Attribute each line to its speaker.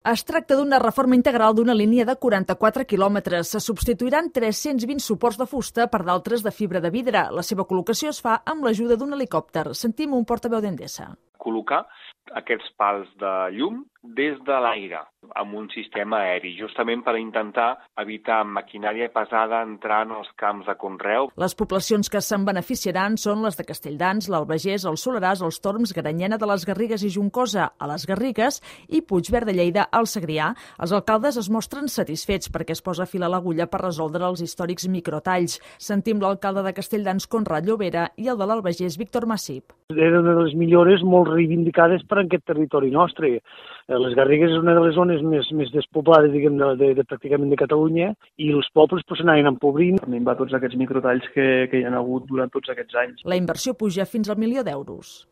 Speaker 1: Es tracta d'una reforma integral d'una línia de 44 quilòmetres. Se substituiran 320 suports de fusta per d'altres de fibra de vidre. La seva col·locació es fa amb l'ajuda d'un helicòpter. Sentim un portaveu d'Endesa.
Speaker 2: Col·locar aquests pals de llum des de l'aire amb un sistema aeri, justament per intentar evitar maquinària pesada entrar en els camps de conreu.
Speaker 1: Les poblacions que se'n beneficiaran són les de Castelldans, l'Albagés, el Soleràs, els Torms, Granyena de les Garrigues i Juncosa a les Garrigues i Puigverd de Lleida al Segrià. Els alcaldes es mostren satisfets perquè es posa fil a l'agulla per resoldre els històrics microtalls. Sentim l'alcalde de Castelldans, Conrad Llobera, i el de l'Albagés, Víctor Massip.
Speaker 3: Era una de les millores molt reivindicades per aquest territori nostre. Les Garrigues és una de les zones més despoblades, diguem, pràcticament de Catalunya, i els pobles s'anaven empobrint.
Speaker 4: Minvar tots aquests microtalls que hi ha hagut durant tots aquests anys.
Speaker 1: La inversió puja fins al 1 milió d'euros.